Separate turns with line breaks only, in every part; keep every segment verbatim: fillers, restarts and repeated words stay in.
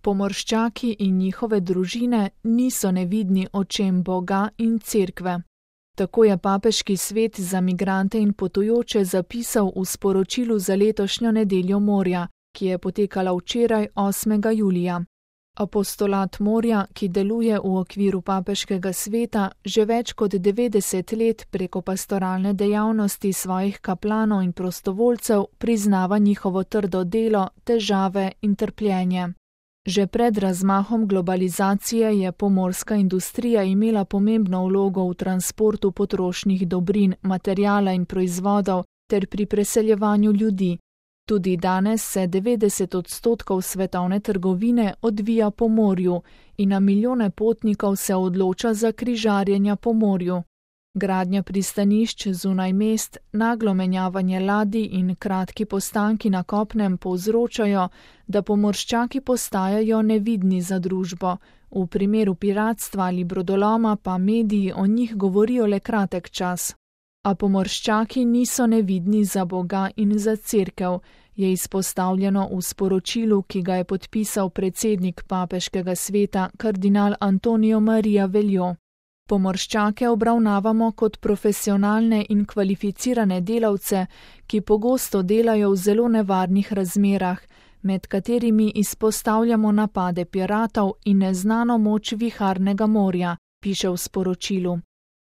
Pomorščaki in njihove družine niso nevidni očem Boga in cerkve. Tako je Papeški svet za migrante in potujoče zapisal v sporočilu za letošnjo nedeljo morja, ki je potekala včeraj osmega julija. Apostolat morja, ki deluje v okviru Papeškega sveta, že več kot devetdeset let preko pastoralne dejavnosti svojih kaplanov in prostovoljcev priznava njihovo trdo delo, težave in trpljenje. Že pred razmahom globalizacije je pomorska industrija imela pomembno vlogo v transportu potrošnih dobrin, materijala in proizvodov ter pri preseljevanju ljudi. Tudi danes se devetdeset odstotkov svetovne trgovine odvija po morju in na milijone potnikov se odloča za križarjenja po morju. Gradnja pristanišč zunaj mest, naglo menjavanje ladij in kratki postanki na kopnem povzročajo, da pomorščaki postajajo nevidni za družbo. V primeru piratstva ali brodoloma pa mediji o njih govorijo le kratek čas. A pomorščaki niso nevidni za Boga in za cerkev, je izpostavljeno v sporočilu, ki ga je podpisal predsednik Papeškega sveta kardinal Antonio Maria Veljo. Pomorščake obravnavamo kot profesionalne in kvalificirane delavce, ki pogosto delajo v zelo nevarnih razmerah, med katerimi izpostavljamo napade piratov in neznano moč viharnega morja, piše v sporočilu.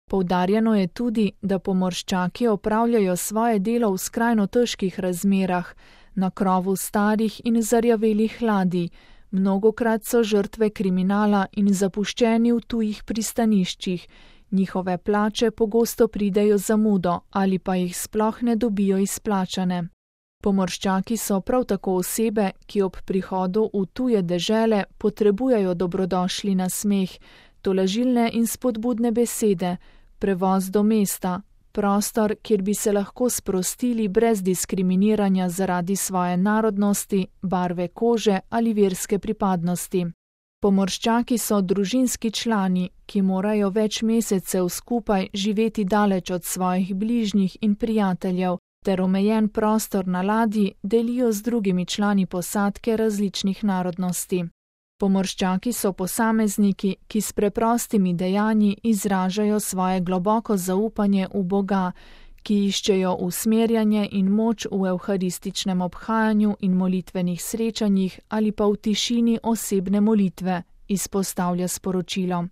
Poudarjeno je tudi, da pomorščaki opravljajo svoje delo v skrajno težkih razmerah, na krovu starih in zarjavelih ladij, mnogokrat so žrtve kriminala in zapuščeni v tujih pristaniščih, njihove plače pogosto pridejo zamudo ali pa jih sploh ne dobijo izplačane. Pomorščaki so prav tako osebe, ki ob prihodu v tuje dežele potrebujejo dobrodošli nasmeh, tolažilne in spodbudne besede, prevoz do mesta, prostor, kjer bi se lahko sprostili brez diskriminiranja zaradi svoje narodnosti, barve kože ali verske pripadnosti. Pomorščaki so družinski člani, ki morajo več mesecev skupaj živeti daleč od svojih bližnjih in prijateljev, ter omejen prostor na ladji delijo z drugimi člani posadke različnih narodnosti. Pomorščaki so posamezniki, ki s preprostimi dejanji izražajo svoje globoko zaupanje v Boga, ki iščejo usmerjanje in moč v evharističnem obhajanju in molitvenih srečanjih ali pa v tišini osebne molitve, izpostavlja sporočilo.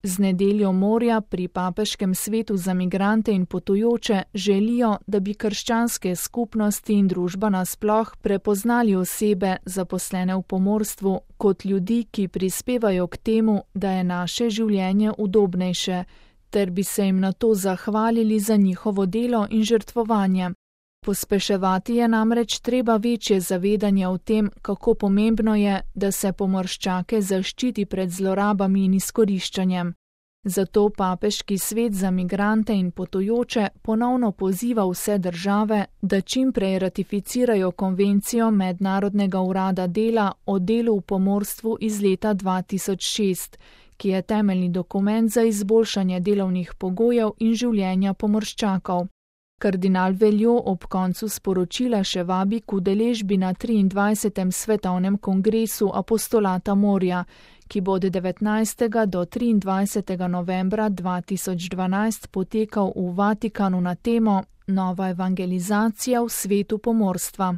Z nedeljo morja pri Papeškem svetu za migrante in potujoče želijo, da bi krščanske skupnosti in družba nasploh prepoznali osebe, zaposlene v pomorstvu, kot ljudi, ki prispevajo k temu, da je naše življenje udobnejše, ter bi se jim na to zahvalili za njihovo delo in žrtvovanje. Pospeševati je namreč treba večje zavedanje o tem, kako pomembno je, da se pomorščake zaščiti pred zlorabami in izkoriščanjem. Zato Papeški svet za migrante in potujoče ponovno poziva vse države, da čim prej ratificirajo konvencijo Mednarodnega urada dela o delu v pomorstvu iz leta dva tisoč šest, ki je temeljni dokument za izboljšanje delovnih pogojev in življenja pomorščakov. Kardinal Veljo ob koncu sporočila še vabi k udeležbi na triindvajsetem svetovnem kongresu apostolata morja, ki bo od devetnajstega do triindvajsetega novembra dva tisoč dvanajst potekal v Vatikanu na temo Nova evangelizacija v svetu pomorstva.